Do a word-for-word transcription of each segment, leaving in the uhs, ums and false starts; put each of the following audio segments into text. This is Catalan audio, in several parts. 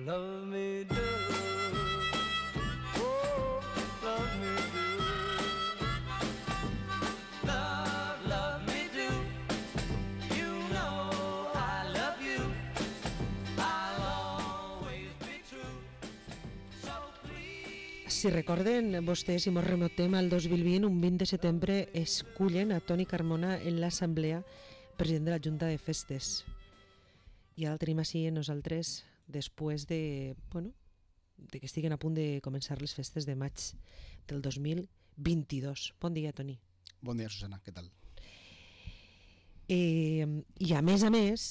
love me do. Oh, love me do. Love, love me do. You know I love you. I'll always be true. So please. Si recorden vostès, si mos remotem al dos mil vint, un vint de setembre escullen a Toni Carmona en l'assemblea president de la Junta de Festes. I ara el tenim així en nosaltres després de, bueno, de que estiguen a punt de començar les festes de maig del dos mil vint-i-dos. Bon dia, Toni. Bon dia, Susana, què tal? Eh, I a més a més,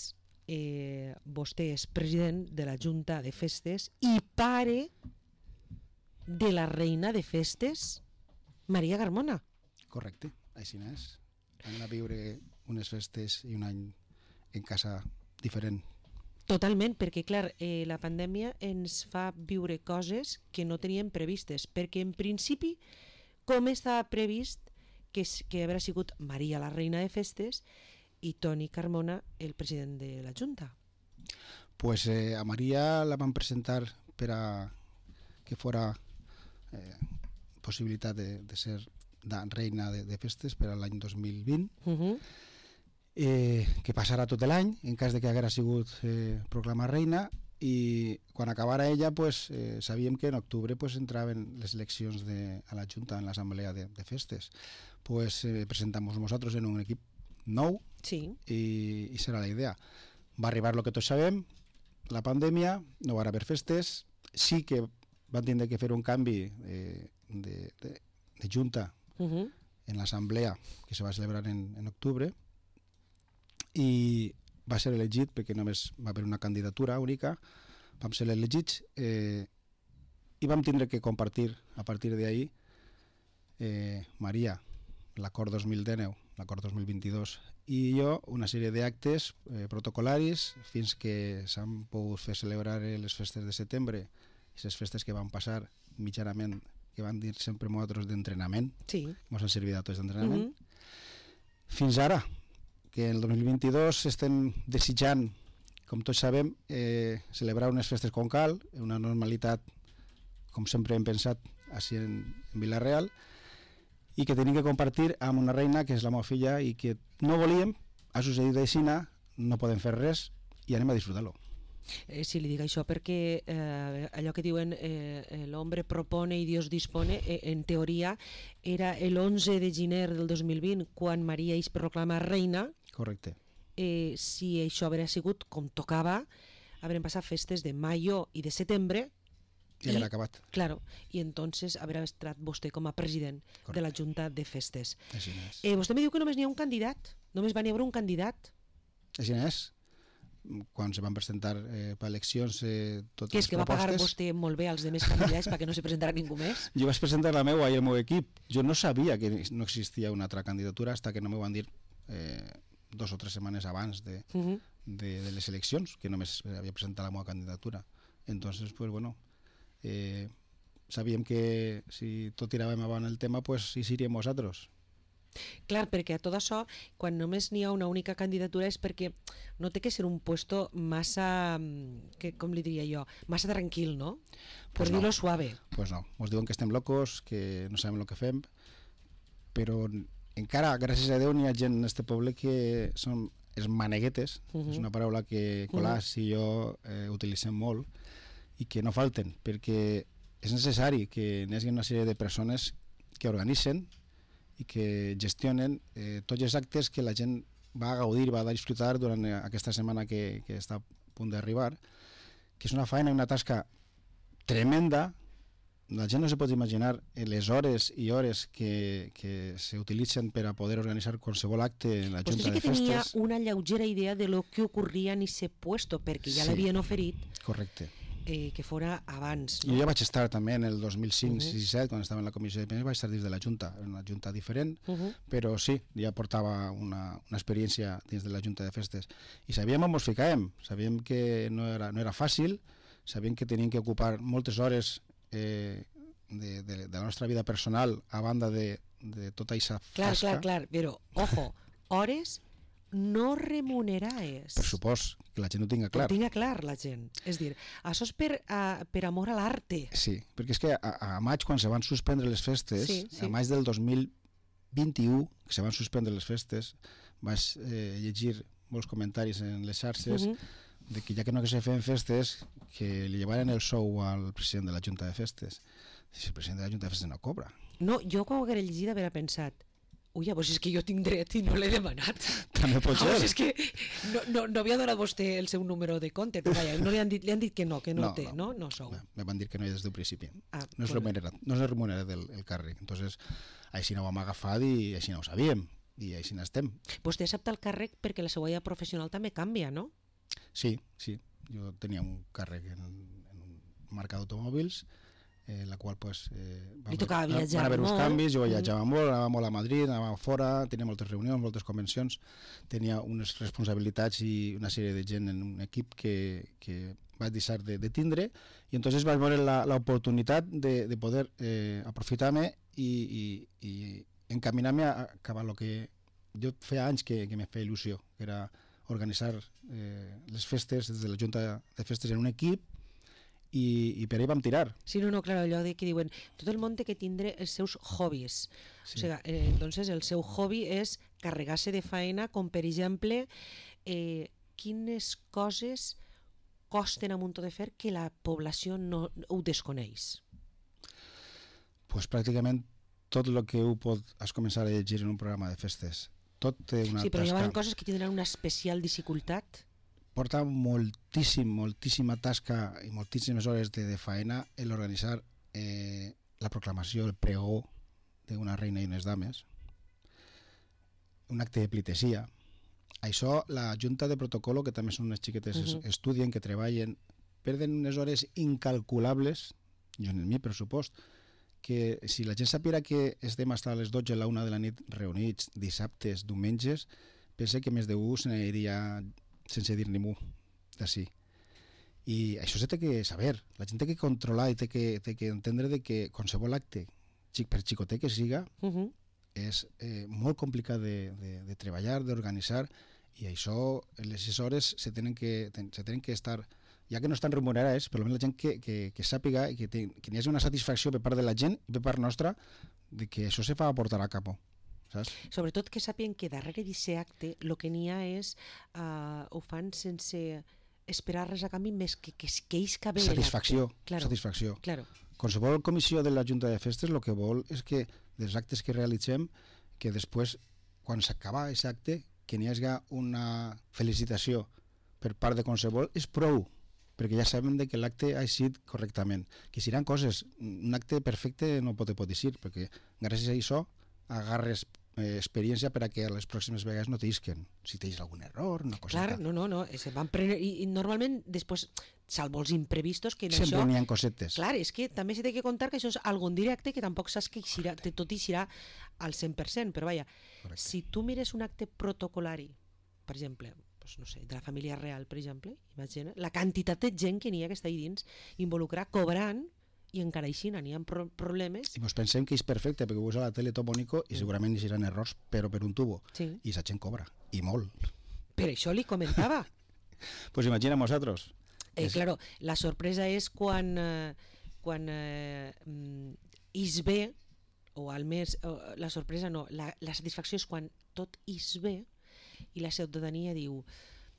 eh, vostè és president de la Junta de Festes i pare de la reina de festes, Maria Carmona. Correcte, així n'és. Vam anar a viure unes festes i un any en casa diferent. Totalment, perquè clar, eh, la pandèmia ens fa viure coses que no teníem previstes, perquè en principi, com estava previst que, que haurà sigut Maria la reina de festes i Toni Carmona el president de la Junta? Pues eh, a Maria la van presentar per a que fora eh, possibilitat de, de ser la reina de, de festes per a l'any dos mil vint. Uh-huh. Eh, que passarà tot l'any en cas de que haguera sigut eh, proclamar reina, i quan acabara ella pues, eh, sabíem que en octubre pues, entraven les eleccions de, a la Junta en l'assemblea de, de festes. Pues eh, presentamos nosaltres en un equip nou. Sí. i, i serà la idea. Va arribar el que tots sabem, la pandèmia, no va haver festes, sí que van tindre que fer un canvi eh, de, de, de Junta Uh-huh. en l'assemblea que se va celebrar en, en octubre, i va ser elegit perquè només va haver una candidatura única, vam ser elegits eh, i vam tindre que compartir a partir d'ahir eh, Maria l'acord dos mil dinou, l'acord dos mil vint-i-dos i jo una sèrie d'actes eh, protocolaris fins que s'han pogut fer celebrar les festes de setembre, aquestes festes que van passar mitjanament, que van dir sempre nosaltres d'entrenament, Sí. ens han servit a tots d'entrenament, Uh-huh. fins ara, que el dos mil vint-i-dos estem desitjant, com tots sabem, eh, celebrar unes festes com cal, una normalitat, com sempre hem pensat, així en, en Vila-real, i que tenim que compartir amb una reina que és la meva filla i que no volíem, ha succeït d'aixina, no podem fer res i anem a disfrutar-lo. Eh, si li dic això perquè eh, allò que diuen eh, l'hombre propone i Dios dispone, eh, en teoria era l'onze de gener del dos mil vint quan Maria es proclama reina. Correcte. Eh, si això haguera sigut com tocava, haurem passat festes de maio i de setembre I haguera acabat. Claro, i entonces haurà estat vostè com a president Correcte. de la Junta de Festes. Així n'és. Eh, vostè me diu que només n'hi ha un candidat, només va n'hi haver un candidat. Així n'és. Quan se van presentar eh, per eleccions eh, totes Que és les que va pagar propostes, vostè molt bé als demés candidats perquè no se presentarà ningú més. jo vaig presentar la meva i el meu equip. Jo no sabia que no existia una altra candidatura hasta que no m'ho van dir eh, dos o tres setmanes abans de, Uh-huh. de, de les eleccions, que només havia presentat la meva candidatura. Entonces, pues bueno, eh, sabíem que si tot tiràvem avant el tema, pues hi seríem nosaltres. Clar, perquè a tot això, quan només n'hi ha una única candidatura és perquè no té que ser un puesto massa, que, com li diria jo, massa tranquil, no? Per Pues no. dir-lo suave. Pues no, ens diuen que estem locos, que no sabem el que fem, però encara, gràcies a Déu, n'hi ha gent en este poble que són els maneguetes, Uh-huh. és una paraula que Colàs i jo eh, utilitzem molt, i que no falten, perquè és necessari que n'hi hagi una sèrie de persones que organitzen i que gestionen eh, tots els actes que la gent va a gaudir, va a disfrutar durant aquesta setmana que, que està a punt d'arribar, que és una feina i una tasca tremenda. La gent no se pot imaginar les hores i hores que, que s'utilitzen per a poder organitzar qualsevol acte en la Vostè sí Junta de que tenia Festes. una lleugera idea de lo que ocorria en ese puesto, perquè ja Sí. l'havien oferit Correcte. eh, que fora abans. Jo ja vaig estar també en el dos mil cinc Uh-huh. sis set, quan estava en la comissió de pensions, vaig estar dins de la Junta, en una Junta diferent, Uh-huh. però sí, ja portava una, una experiència dins de la Junta de Festes. I sabíem on ens ficàvem, sabíem que no era, no era fàcil, sabíem que teníem que ocupar moltes hores eh, de, de, de la nostra vida personal a banda de, de tota aquesta Clar, tasca. clar, clar, però, ojo, hores no remunerades. Per supost, que la gent ho tinga clar. Ho tinga clar la gent. És dir, això és per, a, per amor a l'arte. Sí, perquè és que a, a maig, quan se van suspendre les festes, Sí, sí. a maig del dos mil vint-i-u, que se van suspendre les festes, vaig eh, llegir molts comentaris en les xarxes Mhm. de que ja que no que se feien festes, que li llevaren el sou al president de la Junta de Festes. Si el president de la Junta de Festes no cobra. No, jo quan ho haguera llegit haver pensat, ui, pues és que jo tinc dret i no l'he demanat. També pot Ah, ser. pues és que no, no, no havia donat vostè el seu número de compte, però vaja, no li han dit, li han dit que no, que no, No, té, no? no. No sou. Bé, me van dir que no des del principi. Ah, No és molt bé. remunerat, no és remunerat el, el càrrec. Entonces, així no ho vam agafar i així no ho sabíem. I així n'estem. Vostè accepta el càrrec perquè la seva vida professional també canvia, no? Sí, sí. Jo tenia un càrrec en, en un marca d'automòbils, en la qual pues, eh, Li tocava viatjar van haver uns molt. canvis, jo viatjava molt, anava molt a Madrid, anava fora, tenia moltes reunions, moltes convencions, tenia unes responsabilitats i una sèrie de gent en un equip que, que vaig deixar de, de tindre, i entonces vaig veure l'oportunitat de, de poder eh, aprofitar-me i, i, i encaminar-me a acabar el que jo feia anys que, que me feia il·lusió, que era organitzar eh, les festes des de la Junta de Festes en un equip, i, i per ahí vam tirar. Sí, no, no, clar, allò de que diuen tot el món té que tindre els seus hobbies. Sí. O sigui, eh, entonces el seu hobby és carregar-se de faena, com per exemple, eh, quines coses costen a muntó de fer que la població no ho desconeix. Pues pràcticament tot el que ho pot has començar a llegir en un programa de festes. Tot té una Sí, però hi tasca. ha coses que tindran una especial dificultat. Porta moltíssim, moltíssima tasca i moltíssimes hores de, de faena el organitzar eh, la proclamació, el pregó d'una reina i unes dames, un acte de plitesia. Això, la Junta de Protocolo, que també són unes xiquetes, uh Mhm. -huh. estudien, que treballen, perden unes hores incalculables, jo en el mi pressupost, que si la gent sapiera que estem fins a les dotze a la una de la nit reunits dissabtes, diumenges, pensa que més d'un se n'aniria sense dir ningú d'ací. I això se té que saber, la gent té que controlar i té que, té que entendre de que qualsevol acte, xic per xicotet que siga, Uh -huh. és eh, molt complicat de, de, de treballar, d'organitzar, i això, les hores se tenen que, ten, se tenen que estar, ja que no estan remunerades, però almenys la gent que, que, que sàpiga i que, te, que hi hagi una satisfacció per part de la gent i per part nostra de que això se fa a portar a cap. Saps? Sobretot que sàpiguen que darrere d'aquest acte el que n'hi ha és, uh, ho fan sense esperar res a canvi més que que, que ells que veuen Satisfacció, Claro. satisfacció. Claro. Qualsevol comissió de la Junta de Festes el que vol és que dels actes que realitzem, que després, quan s'acaba aquest acte, que n'hi hagi una felicitació per part de qualsevol, és prou, perquè ja sabem de que l'acte ha eixit correctament. Que si eren coses, un acte perfecte no pot, pot dir, perquè gràcies a això agarres eh, experiència per a que a les pròximes vegades no t'isquen. Si tens algun error, una coseta. Clar, no, no, no, se van prendre, i, i normalment després, salvo els imprevistos, que en Sempre això... n'hi ha cosetes. Clar, és que també s'ha de contar que això és algun directe que tampoc saps que eixirà, que tot eixirà al cent per cent, però vaja, Correcte. si tu mires un acte protocolari, per exemple, doncs, no sé, de la família real, per exemple, imagina, la quantitat de gent que n'hi ha que està ahí dins, involucrar, cobrant, i encara així n'hi ha pro problemes. I mos pensem que és perfecte, perquè ho veus a la tele tot bonico i segurament hi seran errors, però per un tubo. Sí. I la gent cobra, i molt. Per això li comentava. Pues imagina nosaltres. Eh, És- claro, la sorpresa és quan, eh, quan eh, mm, is bé, o al més, o, la sorpresa no, la, la satisfacció és quan tot is bé i la ciutadania diu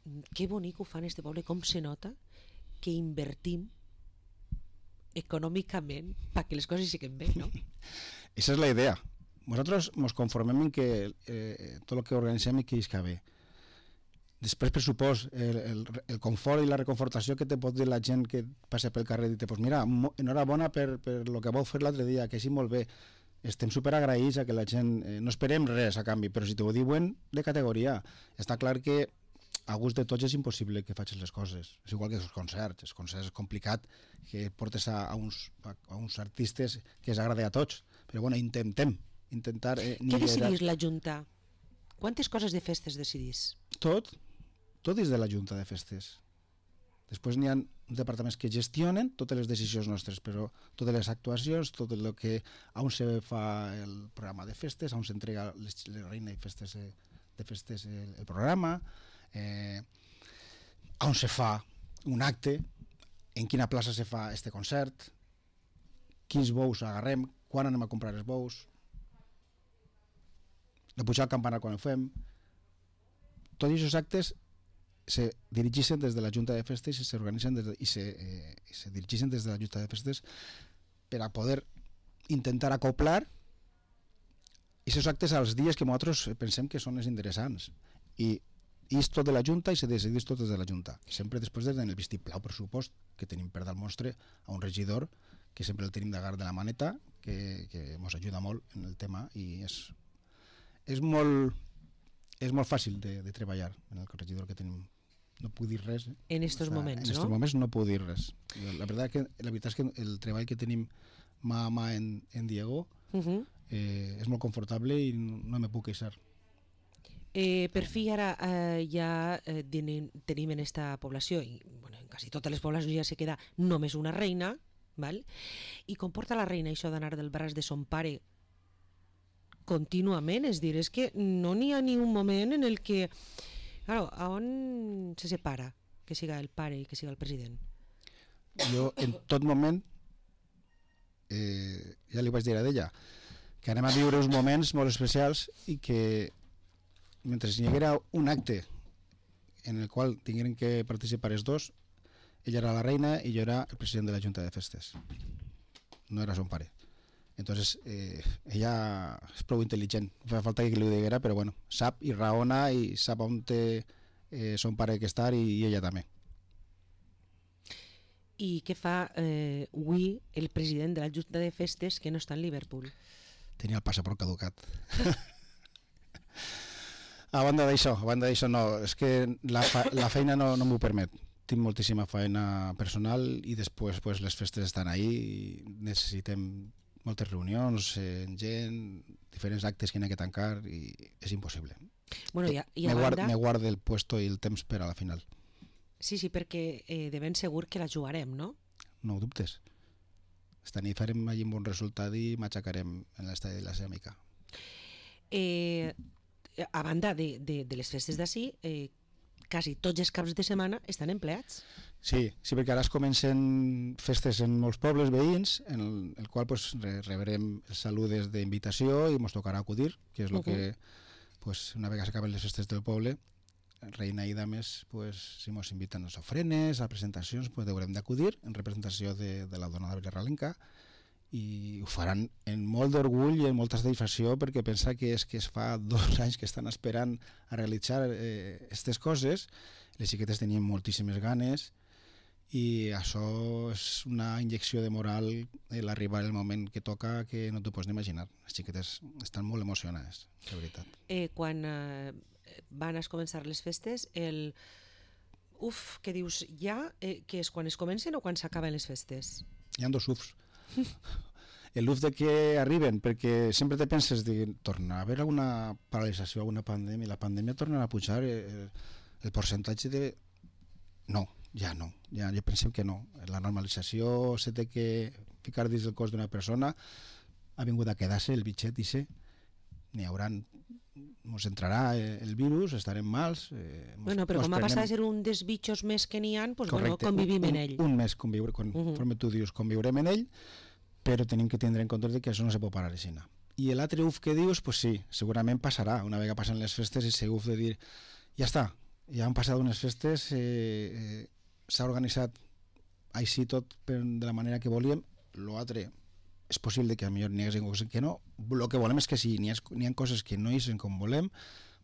"Mm, que bonic ho fan este poble, com se nota que invertim econòmicament perquè les coses siguen bé, no? Esa és la idea. Nosaltres ens conformem en que eh, tot el que organitzem i que isca bé. Després, per supost, el, el, el confort i la reconfortació que te pot dir la gent que passa pel carrer i te pues mira, mo- enhorabona per, per lo que vau fer l'altre dia, que així molt bé. Estem superagraïts a que la gent... Eh, no esperem res a canvi, però si t'ho diuen de categoria. Està clar que a gust de tots és impossible que facis les coses. És igual que els concerts. Els concerts és complicat que portes a, a, uns, a, a uns artistes que els agrada a tots. Però bueno, intentem. Intentar eh, Què nivellar decidís la Junta? Quantes coses de festes decidís? tot, tot és de la Junta de Festes. Després n'hi ha uns departaments que gestionen totes les decisions nostres, però totes les actuacions, tot el que on se fa el programa de festes, on s'entrega les, les reina i festes de, de festes el, el programa, eh, on se fa un acte, en quina plaça se fa este concert, quins bous agarrem, quan anem a comprar els bous, de pujar al campanar quan ho fem. Tots aquests actes se dirigeixen des de la Junta de Festes i s'organitzen des de, i, se, eh, i se dirigeixen des de la Junta de Festes per a poder intentar acoplar aquests actes als dies que nosaltres pensem que són els interessants. I és tot de la Junta i se decideix tot des de la Junta. Sempre després del vistiplau, per supost, que tenim per dar mostre a un regidor que sempre el tenim d'agar de la maneta, que, que ens ajuda molt en el tema i és, és, molt, és molt fàcil de, de treballar en el regidor que tenim. No puc dir res. Eh? En estos o sea, moments, en estos no? moments no puc dir res. La veritat, que, la veritat és que el treball que tenim mà a mà en, en Diego Uh -huh. eh, és molt confortable i no, no me puc queixar. Eh, per fi ara eh, ja eh, tenim, tenim en esta població, i bueno, en quasi totes les poblacions ja se queda només una reina, val? I com porta la reina això d'anar del braç de son pare contínuament? És dir, és que no n'hi ha ni un moment en el que... Claro, a on se separa que siga el pare i que siga el president? Jo en tot moment eh, ja li vaig dir a ella que anem a viure uns moments molt especials i que mentre hi haguera un acte en el qual tingueren que participar els dos, ella era la reina i jo era el president de la Junta de Festes, no era son pare. Entonces eh, ella és prou intel·ligent, fa falta que li ho diguera, però bueno, sap i raona i sap on té eh, son pare que estar i, i ella també. I què fa eh, avui el president de la Junta de Festes que no està en Liverpool? Tenia el passaport caducat. A banda d'això, a banda d'això no, és que la, fa, la feina no, no m'ho permet. Tinc moltíssima feina personal i després pues, les festes estan ahí i necessitem moltes reunions, eh, gent, diferents actes que n'hi ha que tancar i és impossible. Bueno, i a, i a me, guard, banda... me guardo el puesto i el temps per a la final. Sí, sí, perquè eh, de ben segur que la jugarem, no? No ho dubtes. Esta nit farem allí un bon resultat i m'aixecarem en l'estadi de la Ceràmica. Eh, a banda de, de, de les festes d'ací, eh, quasi tots els caps de setmana estan empleats. Sí, sí, perquè ara es comencen festes en molts pobles veïns, en el, el qual pues, re, rebrem els saludes d'invitació i ens tocarà acudir, que és el uh -huh. que, pues, una vegada s'acaben les festes del poble, reina i dames, pues, si ens inviten a les ofrenes, a presentacions, pues, haurem d'acudir en representació de, de la dona de Ralenca, i ho faran en molt d'orgull i en molta satisfacció perquè pensa que és que es fa dos anys que estan esperant a realitzar aquestes eh, coses. Les xiquetes tenien moltíssimes ganes i això és una injecció de moral l'arribar el moment que toca que no t'ho pots ni imaginar. Les xiquetes estan molt emocionades, de veritat. Eh, quan eh, van a començar les festes, el uf, que dius ja, eh, que és quan es comencen o quan s'acaben les festes? Hi ha dos ufs. El uf de que arriben, perquè sempre te penses de tornar a haver alguna paralització, alguna pandèmia, la pandèmia tornarà a pujar el, el percentatge de... No, ja no, ja, ja pensem que no. La normalització se té que ficar dins del cos d'una persona, ha vingut a quedar-se el bitxet i se n'hi haurà, ens entrarà el virus, estarem mals. Eh, mos, bueno, però com ha prenem... passat a ser un dels bitxos més que n'hi ha, pues, bueno, Correcte, convivim un, en ell. Un, un mes conviure, conforme uh -huh. tu dius, conviurem en ell, però tenim que tindre en compte que això no se pot parar així. I l'altre uf que dius, pues sí, segurament passarà, una vegada passen les festes, i ese uf de dir, ja està, ja han passat unes festes, eh, eh, s'ha organitzat així tot per, de la manera que volíem, l'altre és possible que a millor n'hi hagi coses que no, el que volem és que si n'hi ha, n'hi ha coses que no eixen com volem,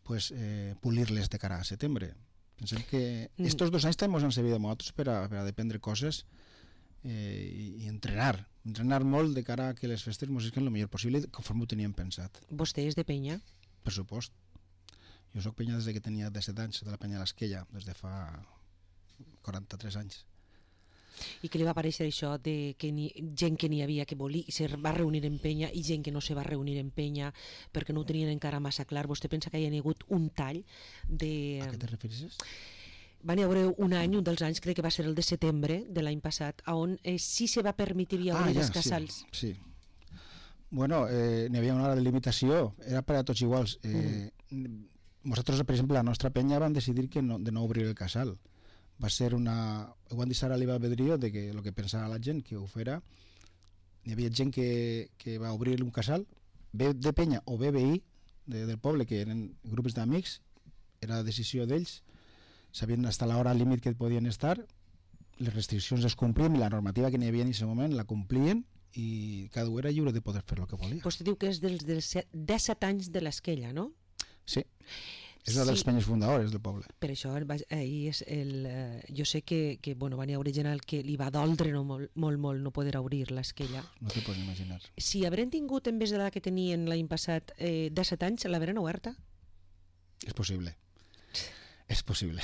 pues, eh, polir-les de cara a setembre. Pensem que mm. estos dos anys també ens han servit a nosaltres per a, per a dependre coses eh, i, i entrenar, entrenar molt de cara a que les festes ens siguin el millor possible conforme ho teníem pensat. Vostè és de penya? Per supost. Jo soc penya des de que tenia disset anys, de la penya de l'Esquella, des de fa quaranta-tres anys. I què li va parèixer això de que ni, gent que n'hi havia que volia se va reunir en penya i gent que no se va reunir en penya perquè no ho tenien encara massa clar? Vostè pensa que hi ha hagut un tall de... A què te refereixes? Va n'hi haver un any, un dels anys, crec que va ser el de setembre de l'any passat, on eh, sí se va permetir obrir ah, ja, els casals. Sí, sí. Bueno, eh, n'hi havia una hora de limitació, era per a tots iguals. Eh, mm. nosaltres, per exemple, la nostra penya vam decidir que no, de no obrir el casal. Va ser una... Ho van deixar a libre albedrío de que el que pensava la gent que ho fera. Hi havia gent que, que va obrir un casal, bé de penya o bé veí de, del poble, que eren grups d'amics, era la decisió d'ells, sabien hasta l'hora límit que podien estar, les restriccions es complien i la normativa que n'hi havia en aquest moment la complien i cada un era lliure de poder fer el que volia. Vostè diu que és dels, dels disset anys de l'Esquella, no? Sí. És una dels Sí. penyes fundadores del poble. Per això el va- ahir és el, eh, jo sé que, que bueno, van hi haure gent al que li va doldre no, molt, molt, molt no poder obrir l'esquella. No te pots imaginar. Si haurem tingut, en vez de la que tenien l'any passat, eh, disset anys, l'haurem oberta? És possible. És possible.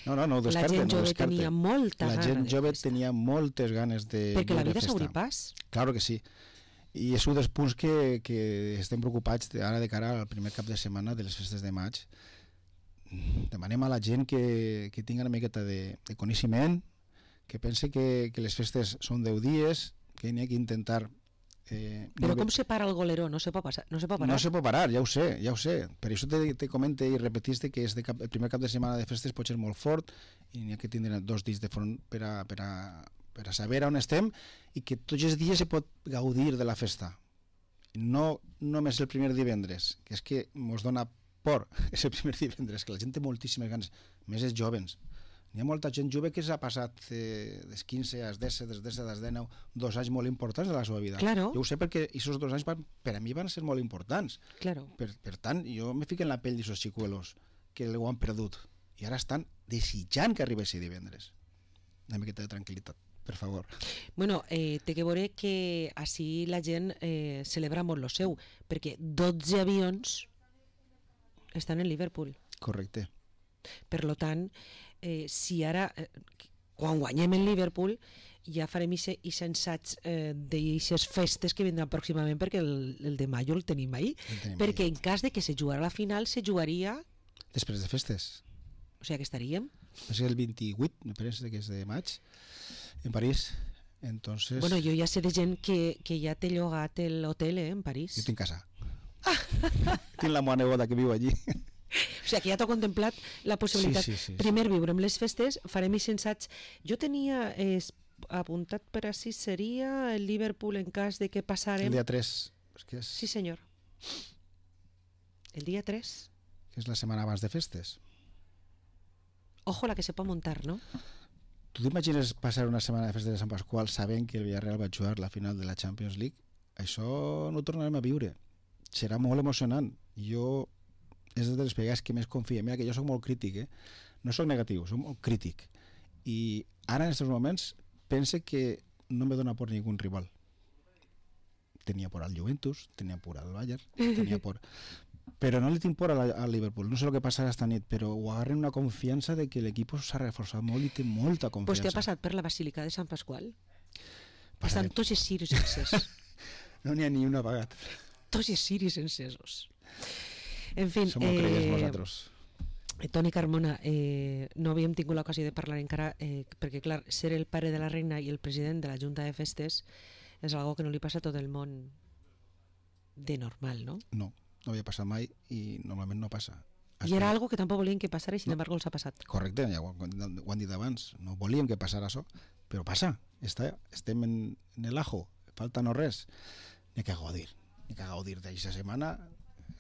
No, no, no ho La descarte. gent no ho jove descarte. tenia molta La gana gent de jove festa. tenia moltes ganes de Perquè la viure vida festa. s'obri pas. Claro que sí. I és un dels punts que, que estem preocupats de, ara de cara al primer cap de setmana de les festes de maig. Demanem a la gent que, que tingui una miqueta de, de coneixement, que pense que, que les festes són deu dies, que n'hi ha que intentar... Eh, Però viure- com se para el goleró? No se pot, passar, no se pot parar? No se pot parar, ja ho sé, ja ho sé. Per això te, te comente i repetiste que és de cap, el primer cap de setmana de festes pot ser molt fort i n'hi ha que tindre dos dies de front per a, per a, per a saber on estem i que tots els dies se pot gaudir de la festa. No només el primer divendres, que és que mos dona por, és el primer divendres, que la gent té moltíssimes ganes, més els jovens. Hi ha molta gent jove que s'ha passat eh, des quinze als disset, des disset als dinou, dos anys molt importants de la seva vida. Claro. Jo ho sé perquè aquests dos anys van, per a mi van ser molt importants. Claro. Per, per tant, jo me fico en la pell d'aquests xicuelos que ho han perdut i ara estan desitjant que arribessi divendres. Una miqueta de tranquil·litat, per favor. Bueno, eh, té que veure que així la gent eh, celebra molt lo seu, perquè dotze avions estan en Liverpool. Correcte. Per lo tant, eh, si ara, eh, quan guanyem en Liverpool, ja farem i assaig eh, d'aixes festes que vindran pròximament, perquè el, el de maio el tenim ahí. El tenim Perquè ahí. en cas de que se jugara la final, se jugaria, Després de festes. o sigui que estaríem... Va ser el vint-i-vuit, me penso que és de maig, en París. Entonces, Bueno, jo ja sé de gent que, que ja té llogat l'hotel eh, en París. jo tinc casa. Tinc la meva neboda que viu allí. O sigui que ja t'ho contemplat la possibilitat. Sí, sí, sí, sí. Primer viurem les festes, farem i sensaig. Jo tenia eh, apuntat per així, seria el Liverpool en cas de que passarem... El dia tres, és que és, Sí, senyor. El dia tres. que és la setmana abans de festes. Ojo la que se pot muntar, no? Tu t'imagines passar una setmana de festes de Sant Pasqual sabent que el Villarreal va jugar la final de la Champions League? Això no ho tornarem a viure. Serà molt emocionant. Jo és de les vegades que més confio. Mira que jo sóc molt crític, eh? No sóc negatiu, sóc molt crític. I ara en aquests moments pense que no me dona por ningún rival. Tenia por al Juventus, tenia por al Bayern, tenia por... Però no li tinc por a la- al Liverpool. No sé el que passarà esta nit, però ho agarren una confiança de que l'equip s'ha reforçat molt i té molta Pues confiança. t'ha passat per la Basílica de Sant Pasqual. Passaré. Estan tots els ciris encesos. No n'hi ha ni una apagat. Tots els ciris encesos. En fi, Som molt creients nosaltres. Eh, Toni Carmona, eh, no havíem tingut l'ocasió de parlar encara, eh, perquè clar, ser el pare de la reina i el president de la Junta de Festes és algo que no li passa a tot el món de normal, no? No, no havia passat mai i normalment no passa. I era algo que tampoc volien que passara i sin embargo els ha passat. Correcte, ja ho, ho han dit abans. No volíem que passara això, però passa. Està, estem en, en el ajo, falta no res. N'hi ha que gaudir. N'hi ha que gaudir d'aquesta setmana.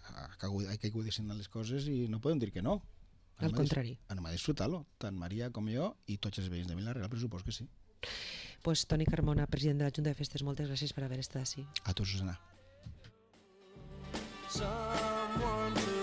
Ha que gaudir- Hay que gaudir les coses i no podem dir que no. Al contrari. Anem a disfrutar-lo, tant Maria com jo i tots els veïns de Vila-real, per supos que sí. Pues Toni Carmona, president de la Junta de Festes, moltes gràcies per haver estat així. A tu, Susana. Someone to